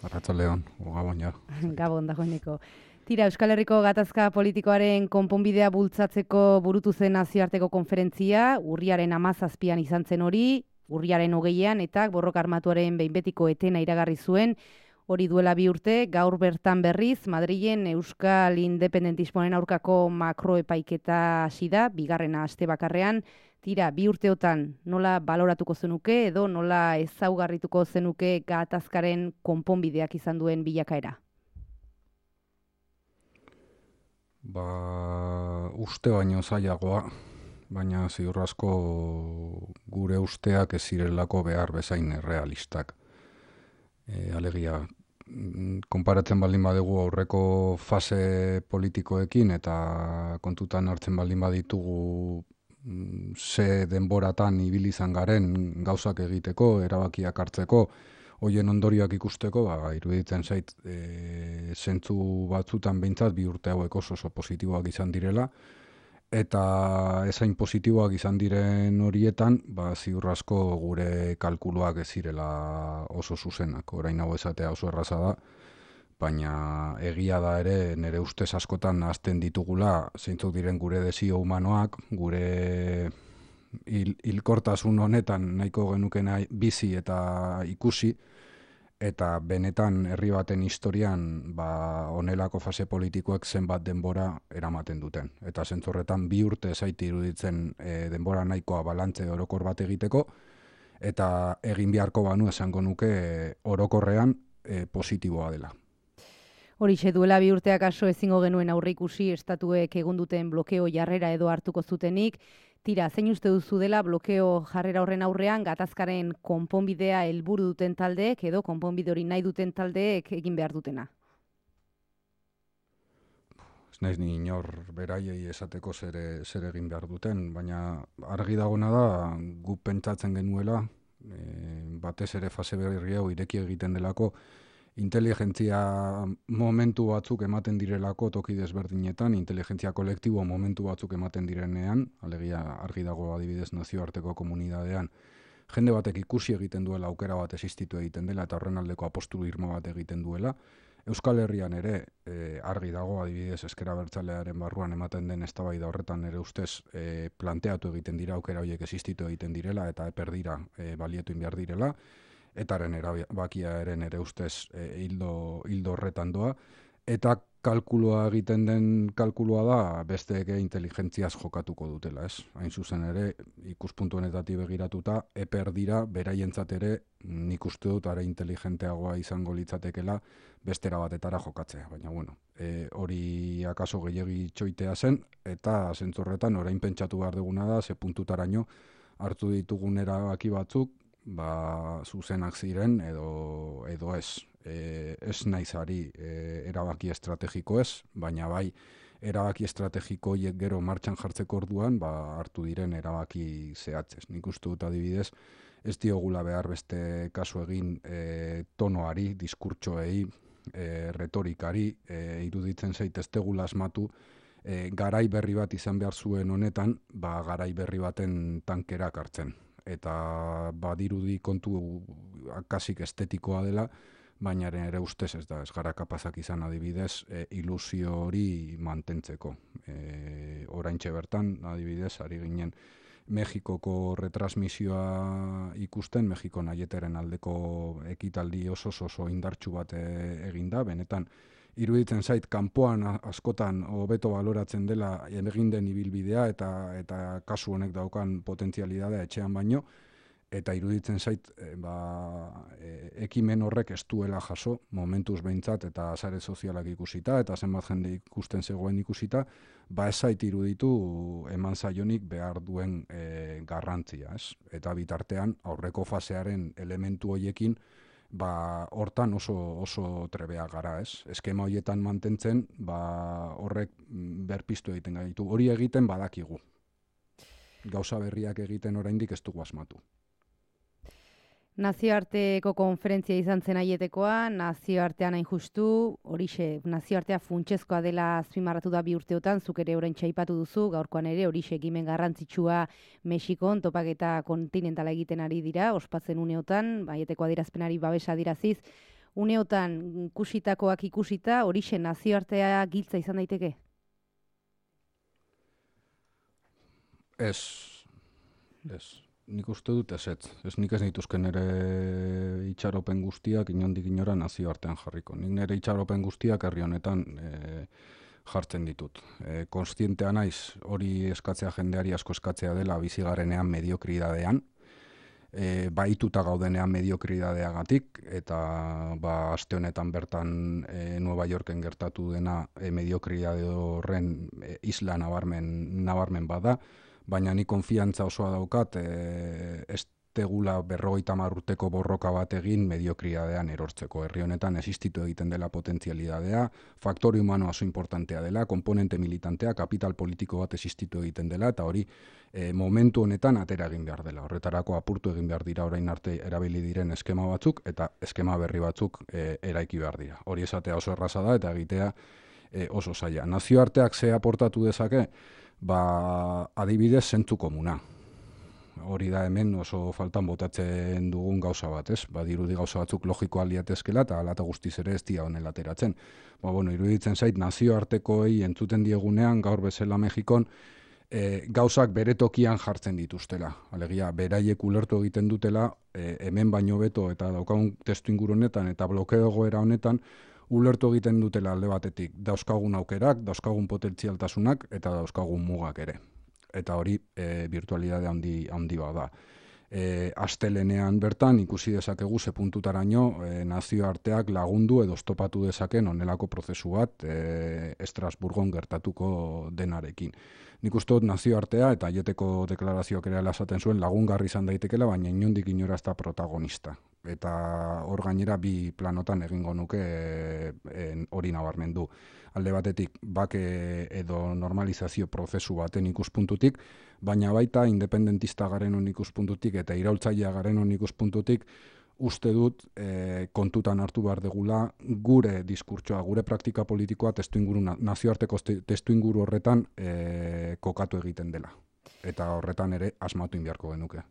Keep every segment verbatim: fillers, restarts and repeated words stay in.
Arratsaldeon, Gabon ja. Gabon dagoeneko. Tira, Euskal Herriko gatazka politikoaren konponbidea bultzatzeko burutu zen nazioarteko konferentzia, urriaren hamazazpian izan zen hori, urriaren hogeian eta borroka armatuaren behin betiko etena iragarri zuen, hori duela bi urte, gaur bertan berriz, Madrilen Euskal Independentismoaren aurkako makroepaiketa hasi da, bigarrena aste bakarrean. Tira, bi urteotan nola baloratuko zenuke edo nola ezaugarrituko zenuke gatazkaren konponbideak izan duen bilakaera? Ba, uste baino zailagoa, baina ziur asko gure usteak ez zirelako behar bezain errealistak. E, alegia, konparatzen baldin badugu aurreko fase politikoekin eta kontutan hartzen baldin baditugu ze denboratan ibili izan garen gauzak egiteko, erabakiak hartzeko, hoien ondorioak ikusteko, ba, iruditzen zait, e, zentzu batzutan behintzat bi urte hauek oso oso positiboak izan direla, eta ezain positiboak izan diren horietan, ba, ziur asko gure kalkuluak ez zirela oso zuzenak. Orain hau esatea oso erraza da, baina egia da ere nire ustez askotan hasten ditugula zeintzuk diren gure desio humanoak, gure hil, hilkortasun honetan nahiko genukena bizi eta ikusi, eta benetan herri baten historian ba, onelako fase politikoek zenbat denbora eramaten duten. Eta zentzorretan bi urte zaiti iruditzen e, denbora nahikoa balantze orokor bat egiteko, eta egin beharko banu esango nuke e, orokorrean e, positiboa dela. Horixe duela bi urteak aso ezingo genuen aurreikusi estatuek egun duten blokeo jarrera edo hartuko zutenik. Tira, zein uste duzu dela blokeo jarrera horren aurrean gatazkaren konponbidea helburu duten taldeek edo konponbide hori nahi duten taldeek egin behar dutena? Ez naiz ni inor beraiei esateko zer, zer egin behar duten, baina argi dagona da gu pentsatzen genuela, e, batez ere fase berri hau ireki egiten delako, inteligentzia momentu batzuk ematen direlako toki desberdinetan, inteligentzia kolektibo momentu batzuk ematen direnean, alegia argi dago adibidez nazioarteko komunidadean, jende batek ikusi egiten duela aukera bat existitu egiten dela eta horren aldeko apostu irmo bat egiten duela. Euskal Herrian ere e, argi dago adibidez ezker abertzalearen barruan ematen den eztabaida horretan ere ustez e, planteatu egiten dira aukera horiek existitu egiten direla eta eper dira e, balietu behar direla. Etaren erabakia eren ere ustez e, hildo, hildo horretan doa, eta kalkulua egiten den kalkulua da besteeke inteligentziaz jokatuko dutela, ez? Hain zuzen ere, ikuspuntu honetatik begiratuta, eper dira, beraientzat ere, nik uste dut are inteligenteagoa izango litzatekela bestera batetara jokatzea. Baina, bueno, e, hori akaso gehiegi txoitea zen, eta zentzorretan orain pentsatu behar duguna da, ze puntutaraino hartu ditugun erabaki batzuk, ba, zuzenak ziren edo, edo ez. E, ez naiz ari e, erabaki estrategiko ez, baina bai erabaki estrategiko horiek gero martxan jartzeko orduan ba, hartu diren erabaki zehatzez. Nik uste dut adibidez, ez diogula behar beste kasu egin e, tonoari, diskurtsoei, e, retorikari, e, iruditzen zait ez tegula asmatu, e, garai berri bat izan behar zuen honetan, ba, garai berri baten tankerak hartzen. Eta badirudi kontu akasik estetikoa dela, baina ere ustez ez da, ez gara kapazak izan adibidez, e, ilusio hori mantentzeko. E, oraintxe bertan, adibidez, ari ginen Mexikoko retransmisioa ikusten, Mexiko naieteren aldeko ekitaldi oso oso indartsu bat e, eginda, benetan, iruditzen zait, kanpoan askotan hobeto baloratzen dela egin den ibilbidea eta eta kasu honek daukan potentzialidadea etxean baino, eta iruditzen zait e, ba, e, ekimen horrek ez duela jaso, momentuz behintzat eta sare sozialak ikusita, eta zenbat jende ikusten zegoen ikusita, ba ez zait iruditu eman zaionik behar duen e, garrantzia, ez? Eta bitartean aurreko fasearen elementu hoiekin, ba, hortan oso, oso trebea gara, ez? Eskema horietan mantentzen, ba, horrek berpiztu egiten gaitu. Hori egiten badakigu. Gauza berriak egiten oraindik ez dugu asmatu. Nazioarteko konferentzia izan zen aietekoa, nazioartean hain justu, horixe, nazioartea funtsezkoa dela azpimarratu da bi urteotan, zuk ere orain txaipatu duzu, gaurkoan ere horixe ekimen garrantzitsua Mexikon, topaketa kontinentala egiten ari dira, ospatzen uneotan, aieteko adierazpenari babesa adiraziz, uneotan ikusitakoak ikusita, horixe nazioartea giltza izan daiteke? Ez, ez. Nik uste dut ez ez. Ez nik ez nituzken nire itxaropen guztiak inondik inora nazioartean jarriko. Nik nire itxaropen guztiak herri honetan e, jartzen ditut. E, konstientea naiz hori eskatzea jendeari asko eskatzea dela bizigarenean mediokridadean, e, baituta gaudenean mediokridadeagatik, eta ba, aste honetan bertan e, Nueva Yorken gertatu dena e, mediokridade horren e, isla nabarmen, nabarmen bada, baina ni konfiantza osoa daukat e, ez tegula berrogeita hamar urteko borroka bat egin mediokridadean erortzeko. Herri honetan existitu egiten dela potentzialidadea, faktore humano oso importantea dela, komponente militantea, kapital politiko bat existitu egiten dela, eta hori e, momentu honetan atera egin behar dela. Horretarako apurtu egin behar dira orain arte erabili diren eskema batzuk, eta eskema berri batzuk e, eraiki behar dira. Hori esatea oso erraza da, eta egitea e, oso zaila. Nazioarteak ze aportatu dezake? Ba, adibidez zentzu komuna. Hori da hemen oso faltan botatzen dugun gauza bat, ez? Ba, dirudi gauza batzuk logikoa liatezkela eta alata guztiz ere ez dira honela ateratzen. Ba, bueno, iruditzen zait nazioartekoei entzuten diegunean gaur bezala Mexikon e, gauzak bere tokian jartzen dituztela. Alegia, beraiek ulertu egiten dutela e, hemen baino beto eta daukagun testu inguru honetan eta blokeo egoera honetan ulertu egiten dutela alde batetik dauzkagun aukerak, dauzkagun potentzialtasunak eta dauzkagun mugak ere. Eta hori e, virtualidade handi, handi bada. E, astelenean bertan ikusi dezakegu ze puntutaraino e, nazioarteak lagundu edo stopatu dezaken onelako prozesu bat e, Estrasburgon gertatuko denarekin. Nik uste dut nazioartea eta aieteko deklarazioak ere esaten zuen lagungarri izan daitekela, baina inondik inora ez da protagonista. Eta hor gainera bi planotan egingo nuke hori nabarmendu. Alde batetik bake edo normalizazio prozesu baten ikuspuntutik, baina baita independentista garen hon ikuspuntutik eta iraultzailea garen hon ikuspuntutik uste dut e, kontutan hartu behar degula gure diskurtsoa, gure praktika politikoa testuinguru, nazioarteko testuinguru horretan e, kokatu egiten dela. Eta horretan ere asmatu inbiarko genuke.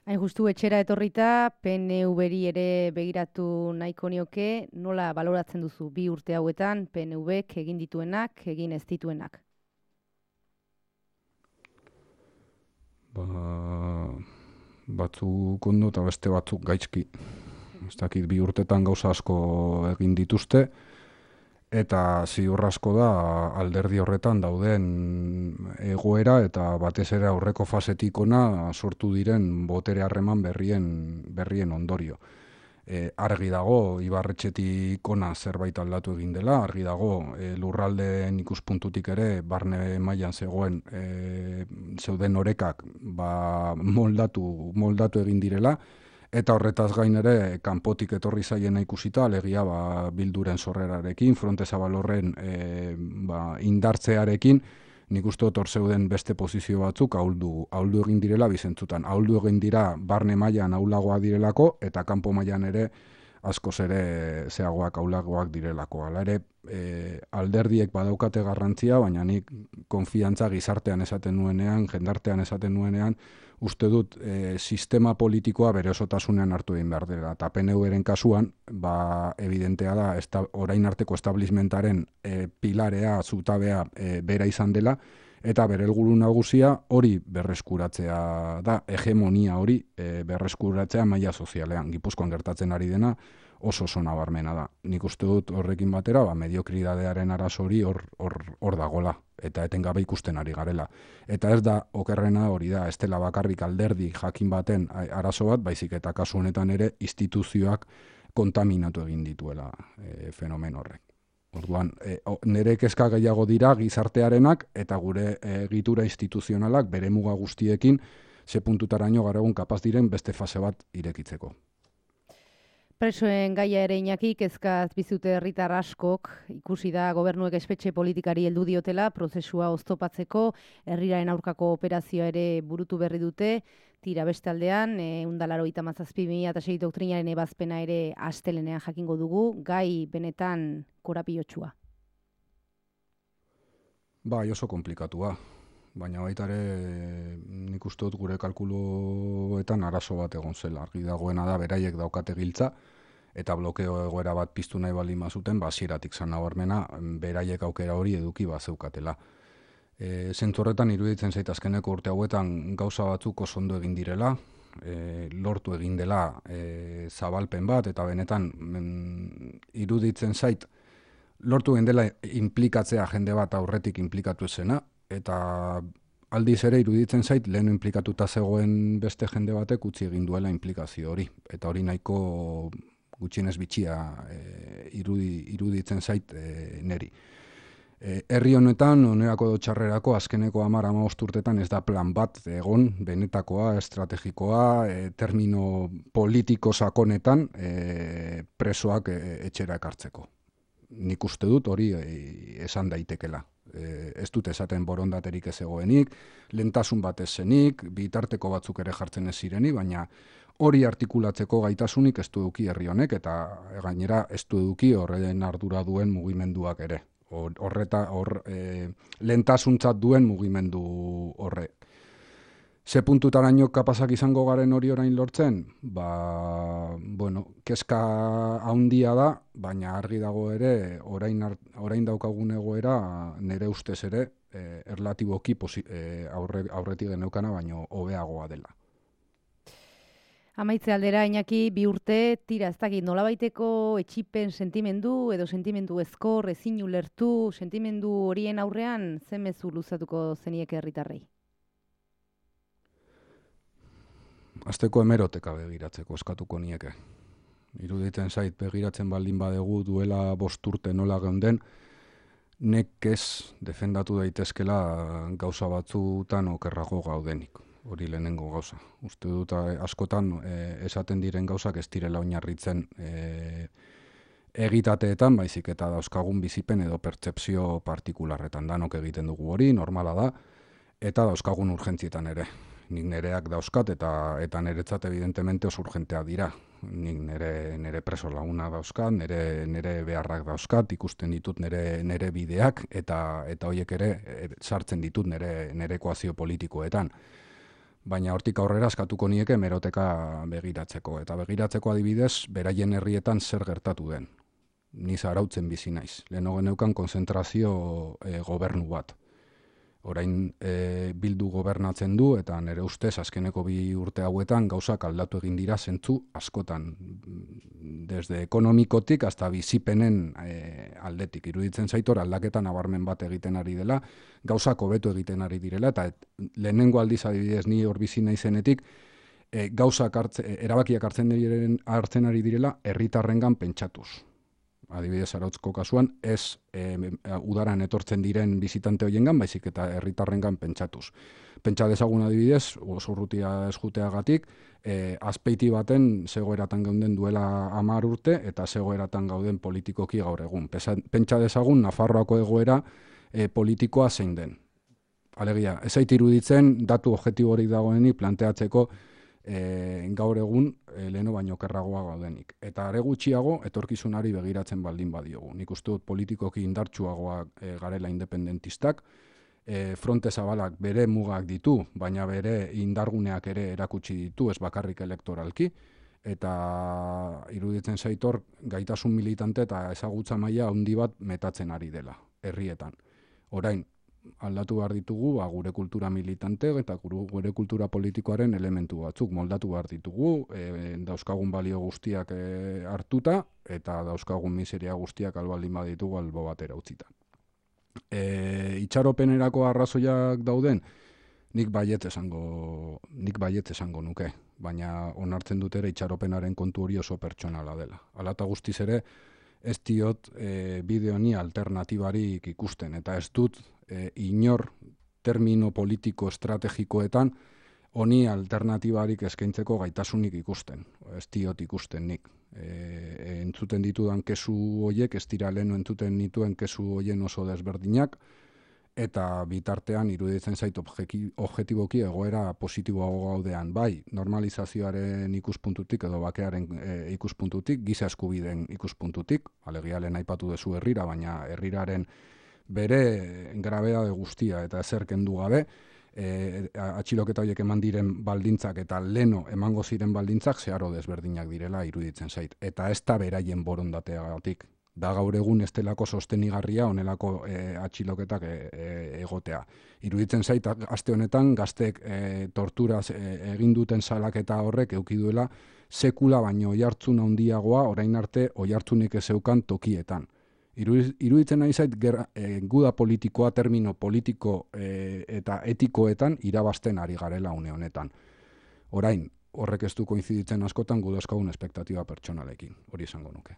Hain justu etxera etorrita, P N V-ri ere begiratu nahiko nioke, nola baloratzen duzu bi urte hauetan P N V-k egin dituenak, egin ez dituenak? Ba, batzuk ondo eta beste batzuk gaizki. Ez dakit bi urtetan gauza asko egin dituzte, eta ziur asko da alderdi horretan dauden egoera eta batez ere aurreko fasetik ona sortu diren botere harreman berrien, berrien ondorio. E, argi dago, Ibarretxetik ona zerbait aldatu egin dela, argi dago e, lurraldeen ikuspuntutik ere barne mailan zegoen e, zeuden orekak ba, moldatu, moldatu egin direla, eta horretaz gain ere kanpotik etorri zaiena ikusita, alegia ba, Bilduren sorrerarekin, Fronte Zabal horren e, ba, indartzearekin, nik uste dut hor zeuden beste posizio batzuk ahuldu, ahuldu egin direla bizentzutan. Ahuldu egin dira barne mailan ahulagoa direlako eta kanpo mailan ere askoz ere zeagoak ahulagoak direlako. Hala ere e, alderdiek badaukate garrantzia, baina nik konfiantza gizartean esaten nuenean, jendartean esaten nuenean, uste dut e, sistema politikoa bere osotasunean hartu egin behar dela. Eta P N V-ren kasuan, ba, evidentea da, esta, orain arteko establishmentaren e, pilarea, zutabea e, bera izan dela, eta bere helburu nagusia hori berreskuratzea da, hegemonia hori e, berreskuratzea maila sozialean. Gipuzkoan gertatzen ari dena oso oso nabarmena da. Nik uste dut horrekin batera, ba, mediokridadearen arazo hori hor, hor, hor dagola, eta etengabe ikusten ari garela. Eta ez da, okerrena hori da, ez dela bakarrik alderdi jakin baten arazo bat, baizik eta kasu honetan ere instituzioak kontaminatu egin dituela e, fenomen horrek. Orduan, e, nire kezka gehiago dira gizartearenak eta gure e, egitura instituzionalak bere muga guztiekin ze puntutaraino gara egun kapaz diren beste fase bat irekitzeko. Presoen gaia ere Iñaki, kezkaz bizute herritar askok, ikusi da gobernuek espetxe politikari heldu diotela, prozesua oztopatzeko, herriraren aurkako operazioa ere burutu berri dute, tira beste aldean, ehun eta laurogeita hamazazpi barra bi mila sei doktrinaren ebazpena ere astelenean jakingo dugu, gai benetan korapilotsua. Bai, oso komplikatua. Baina baita ere nik uste dut gure kalkuluetan arazo bat egon zela. Argi dagoena da beraiek daukate giltza eta blokeo egoera bat piztu nahi baldin bazuten, ba hasieratik zan nabarmena, beraiek aukera hori eduki bazeukatela. E, zentzu horretan iruditzen zait azkeneko urte hauetan gauza batzuk oso ondo egin direla, e, lortu egin dela e, zabalpen bat, eta benetan men, iruditzen zait lortu egin dela inplikatzea jende bat aurretik inplikatu zena, eta aldiz ere iruditzen zait lehen inplikatuta zegoen beste jende batek utzi egin duela inplikazio hori, eta hori nahiko gutxienez bitxia e, irudi, iruditzen zait e, neri. E, herri honetan, onerako txarrerako azkeneko hamar hamabost urtetan ez da plan bat egon, benetakoa, estrategikoa, e, termino politiko sakonetan e, presoak e, etxera ekartzeko. Nik uste dut hori e, esan daitekela. E, ez dut esaten borondaterik ez egoenik, lentasun bat ez zenik, bitarteko batzuk ere jartzen ez zirenik, baina hori artikulatzeko gaitasunik ez du eduki herri honek, eta gainera ez du eduki horren ardura duen mugimenduak ere. Horreta, hor, e, lentasuntzat duen mugimendu horre. Ze puntutaraino kapazak izango garen hori orain lortzen? Ba, bueno, kezka handia da, baina argi dago ere, orain, orain daukagun egoera, nire ustez ere, e, erlatiboki e, aurre, aurretik geneukana, baino hobeagoa dela. Amaitze aldera, Iñaki, bi urte, tira, ez dakit, nolabaiteko etxipen sentimendu edo sentimendu ezkor, ezin ulertu, sentimendu horien aurrean, ze mezu luzatuko zenieke herritarrei? Azteko hemeroteka begiratzeko eskatuko nieke. Iruditzen zait begiratzen baldin badegu duela bost urte nola geunden, nek ez defendatu daitezkela gauza batzutan okerrago gaudenik. Hori lehenengo gauza. Uste dut askotan e, esaten diren gauzak ez direla oinarritzen e, egitateetan, baizik eta dauzkagun bizipen edo pertsepzio partikularretan. Danok egiten dugu hori, normala da, eta dauzkagun urgentzietan ere. Nik nereak dauzkat eta eta niretzat evidentemente oso urgentea dira. Nik nere, nere preso laguna dauzkat, nere, nere beharrak dauzkat, ikusten ditut nere, nere bideak, eta eta horiek ere e, sartzen ditut nere, nere ekuazio politikoetan. Baina hortik aurrera eskatuko nieke meroteka begiratzeko. Eta begiratzeko adibidez, beraien herrietan zer gertatu den. Ni zarautzen bizi naiz. Leheno geneukan konzentrazio e, gobernu bat. Orain e, Bildu gobernatzen du, eta nire ustez azkeneko bi urte hauetan gauzak aldatu egin dira zentzu askotan. Desde ekonomikotik hasta bizipenen e, aldetik. Iruditzen zaitor aldaketa nabarmen bat egiten ari dela, gauzak hobetu egiten ari direla, eta et, lehenengo aldiz adibidez ni hor bizi naizenetik, e, gauzak hartze, erabakiak hartzen, diren, hartzen ari direla herritarrengan pentsatuz. Adibidez Zarautzko kasuan, ez e, udaran etortzen diren bizitante hoiengan, baizik eta herritarrengan pentsatuz. Pentsa dezagun adibidez, oso urrutia eskuteagatik, e, azpeiti baten zegoeratan geunden duela hamar urte, eta zegoeratan gauden politikoki gaur egun. Pentsa dezagun Nafarroako egoera e, politikoa zein den. Alegia, ez zait iruditzen datu objektiborik dagoenik planteatzeko E, gaur egun e, leheno baino okerragoa gaudenik. Eta are gutxiago etorkizunari begiratzen baldin badiogu. Nik uste dut politikoki indartsuagoa e, garela independentistak, e, fronte zabalak bere mugak ditu, baina bere indarguneak ere erakutsi ditu, ez bakarrik elektoralki, eta iruditzen zaitor gaitasun militante eta ezagutza maila handi bat metatzen ari dela, herrietan. Orain, aldatu behar ditugu ba, gure kultura militante eta gure kultura politikoaren elementu batzuk moldatu behar ditugu, e, dauzkagun balio guztiak e, hartuta eta dauzkagun miseria guztiak albaldin baditugu albo batera utzita. E, itxaropenerako arrazoiak dauden, nik baiet esango, nik baiet esango nuke, baina onartzen dut ere itxaropenaren kontu hori oso pertsonala dela. Hala eta guztiz ere, ez diot e, bideo ni alternatibarik ikusten, eta ez dut e, inor termino politiko estrategikoetan honi alternatibarik eskaintzeko gaitasunik ikusten. Ez diot ikusten nik. E, entzuten ditudan kesu hoiek, ez dira leheno entzuten nituen kesu hoien oso desberdinak, eta bitartean iruditzen zait objektiboki egoera positiboago gaudean. Bai, normalizazioaren ikuspuntutik edo bakearen e, ikuspuntutik, giza eskubideen ikuspuntutik, alegia lehen aipatu dezu herrira, baina herriraren bere grabedade guztia eta ezer kendu gabe, e, atxiloketa horiek eman diren baldintzak eta leno emango ziren baldintzak zeharo desberdinak direla iruditzen zait. Eta ez da beraien borondateagatik. Da gaur egun ez delako sostenigarria onelako e, atxiloketak e, e, egotea. Iruditzen zait, aste honetan, gaztek e, torturaz e, egin duten salaketa horrek eduki duela sekula baino oihartzun handiagoa orain arte oihartzunik ez zeukan tokietan. Iruditzen nahi zait, gerra, e, guda politikoa, termino politiko e, eta etikoetan irabazten ari garela une honetan. Orain, horrek ez du koinziditzen askotan gudazkagun espektatiba pertsonalekin, hori izango nuke.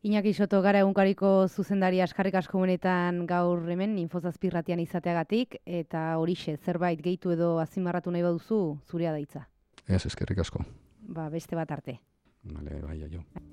Iñaki Soto, gara egunkariko zuzendari askarrik asko benetan gaur hemen Infozazpirratian izateagatik, eta horixe, zerbait gehitu edo azpimarratu nahi baduzu, zurea da hitza. Ez, eskerrik asko. Ba, beste bat arte. Vale, bai, jo.